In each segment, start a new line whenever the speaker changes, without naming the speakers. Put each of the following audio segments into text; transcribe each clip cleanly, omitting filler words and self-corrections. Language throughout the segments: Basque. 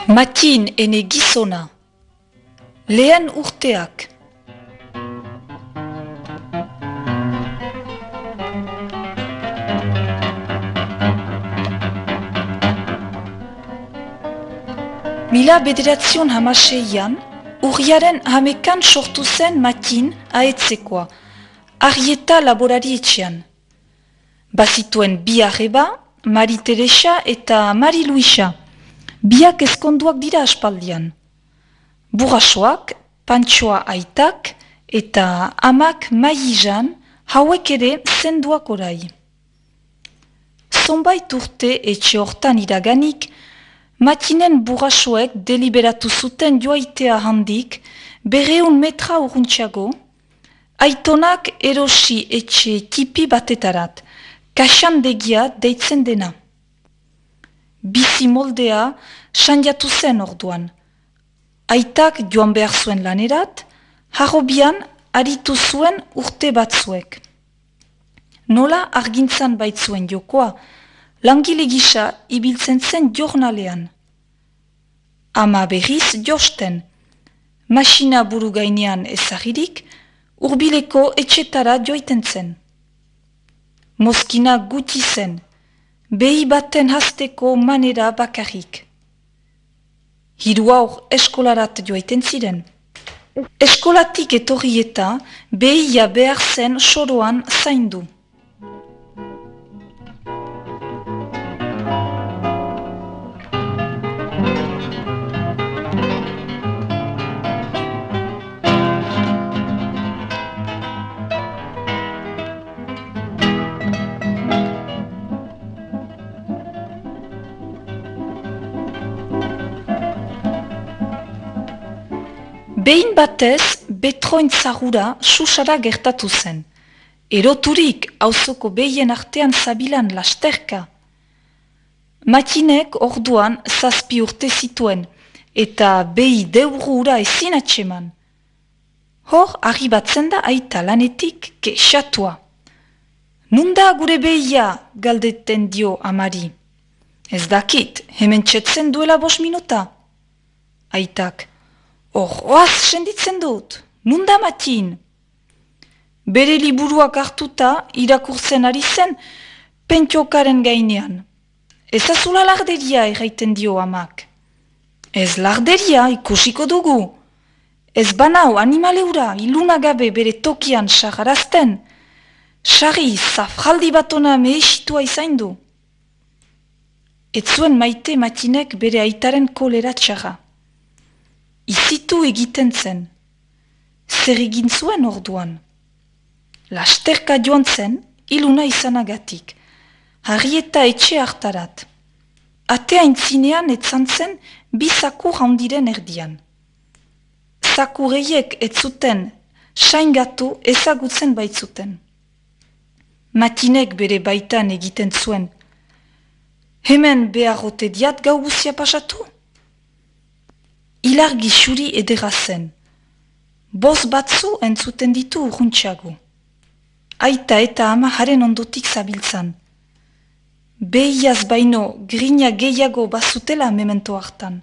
Matin ene gizona. Lehen urteak. Mila bederatzion hamaseian, urriaren hamekan sortu zen Matin ahetzekoa, Arrieta laborari etxean. Bazituen bi arreba, Mari Teresa eta Mari Luisa, biak ezkonduak dira aspaldian. Burrasoak, Pantsoa aitak eta amak Maizan hauek ere zenduak orai. Zonbait urte etxe hortan iraganik, Matinen burrasoek deliberatu zuten joaitea handik 200 metra urruntxago, aitonak erosi etxe tipi batetarat, kaxandegia deitzen dena. Bizi moldea sanjatu zen orduan. Aitak joan behar zuen lanerat, harrobian aritu zuen urte batzuek. Nola argintzan baitzuen jokoa, langile gisa ibiltzen zen jornalean. Ama berriz josten, masina buru gainean ezagirik, urbileko etxetara joiten zen. Mozkina guti zen, behi baten hasteko manera bakarrik. Hiru haur eskolarat joaiten ziren. Eskolatik etorri eta behia behar zen soroan zaindu. Behin batez, betroin zahura susara gertatu zen. Eroturik auzoko behien artean zabilan lasterka. Matinek orduan 7 urte zituen, eta behi deurura ezin atseman. Hor, arribatzen da aita lanetik kexatua. Nunda gure behia, galdeten dio amari. Ez dakit, hemen txetzen duela 5 minuta. Aitak. Oaz senditzen dut, nunda Matin? Bere liburuak hartuta irakurtzen ari zen pentsiokaren gainean. Ez azula larderia erraiten dio amak. Ez larderia ikusiko dugu. Ez banau animaleura ilunagabe bere tokian sagarazten. Sari zafraldi batona mehesitua izain du. Ez zuen maite Matinek bere aitaren kolera txarra. Izitu egiten zen. Zer egin zuen orduan. Lasterka joan zen, iluna izanagatik. Arrieta etxe hartarat. Atea intzinean etzan zen bi zakur handiren erdian. Zakureiek ez zuten saingatu ezagutzen baitzuten. Matinek bere baitan egiten zuen. Hemen beharrote diat gau guzia pasatu? Ilargi xuri edera zen. Boz batzu entzuten ditu urruntxago. Aita eta ama haren ondotik zabiltzan. Behiaz baino grina gehiago bazutela memento hartan.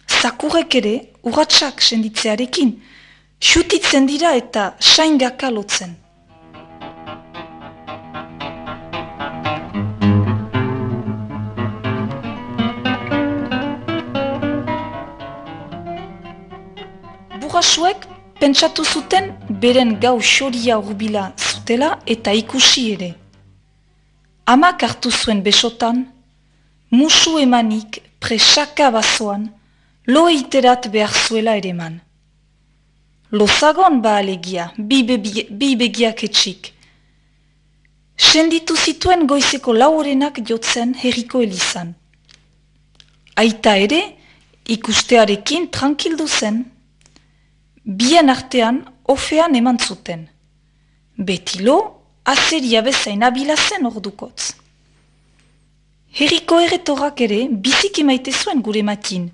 Zakurek ere urratsak senditzearekin, xutitzen dira eta saingaka lotzen. Burrasuek pentsatu zuten beren gau xoria urbila zutela eta ikusi ere. Amak hartu zuen besotan, musu emanik presaka bazoan, lo eiterat behar zuela ereman. Lozagon ba alegia, bi begiak etxik. Senditu zituen goizeko 4 jotzen herriko elizan. Aita ere, ikustearekin tranquildu zen. Bien artean, ofean eman zuten. Betilo, azeria bezain abila zen ordukotz. Herriko erretorak ere biziki maite zuen gure Matin.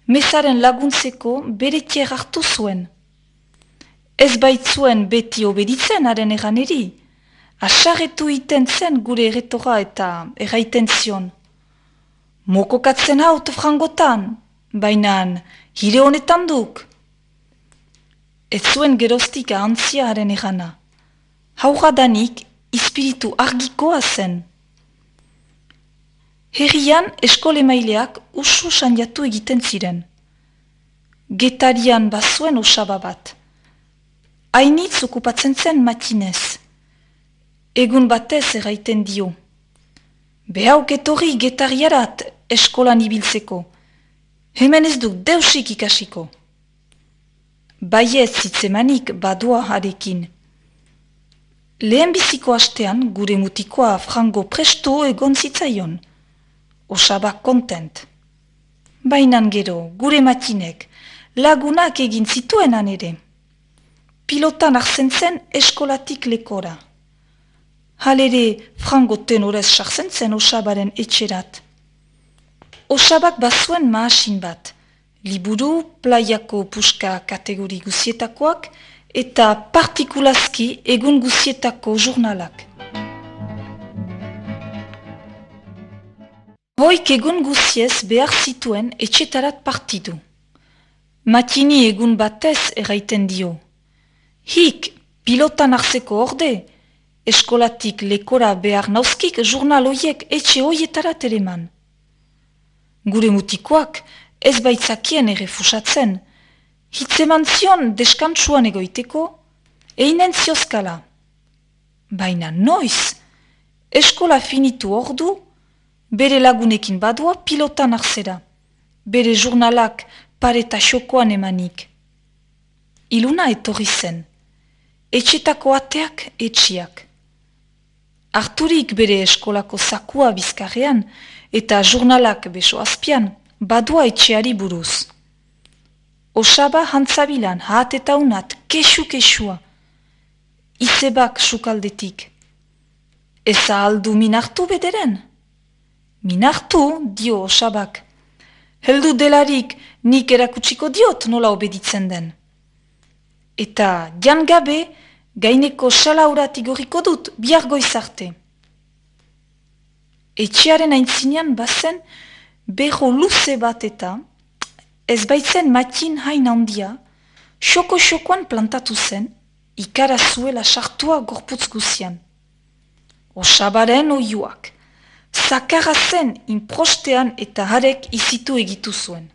Mezaren laguntzeko bere tier hartu zuen. Ez baitzuen beti obeditzen haren eganeri. Asarretu iten zen gure erretora eta erraiten zion. Mokokatzen haut frangotan, bainan hire honetan duk. Ez zuen geroztik ahantzia haren egana. Hauradanik ispiritu argikoa zen. Herrian eskolemaileak usu sandiatu egiten ziren. Getarian bazuen osaba bat. Hainitz okupatzen zen matinez. Egun batez erraiten dio. Behauk etorri getariarat eskolan ibiltzeko. Hemen ez duk deusik ikasiko. Baiez zitzemanik badua harekin. Lehen biziko astean gure mutikoa frango presto egon zitzaion. Osabak kontent. Bainan gero, gure matinek, lagunak egin zituenan ere. Pilotan arzen zen eskolatik lekora. Halere, frango tenorez sartzen zen osabaren etxerat. Osabak bazuen mahasin bat, liburu, playako puska kategori guzietakoak, eta partikulazki egun guzietako jurnalak. Hoik egun guziez behar zituen etxetarat partidu. Matini egun batez erraiten dio. Hik, pilotan arzeko orde, eskolatik lekora behar nauzkik jurnal hoiek etxe hoietarat ereman. Gure mutikoak ez baitzakien errefusatzen, hitzeman zion deskantsuan egoiteko, einen ziozkala. Baina noiz, eskola finitu ordu, bere lagunekin badua pilotan arzera, bere jurnalak pareta xokoan emanik. Iluna etorri zen, etxetako ateak etxiak. Arturik bere eskolako zakua bizkarrean eta jurnalak beso azpian, badua etxeari buruz. Osaba hantzabilan hat eta unat kesu-kesua, izebak sukaldetik. Eza aldu minartu bederen? Minartu, dio osabak. Heldu delarik nik erakutsiko diot nola obeditzen den. Eta jan gabe gaineko salaurat igoriko dut bihar goizarte. Etxearen aintzinean bazen beho luze bat eta ez baitzen matin hain handia, xoko-xokoan plantatu zen, ikara zuela sartua gorputz guzian. Osabaren oiuak, zakarra zen inprostean eta harek izitu egitu zuen.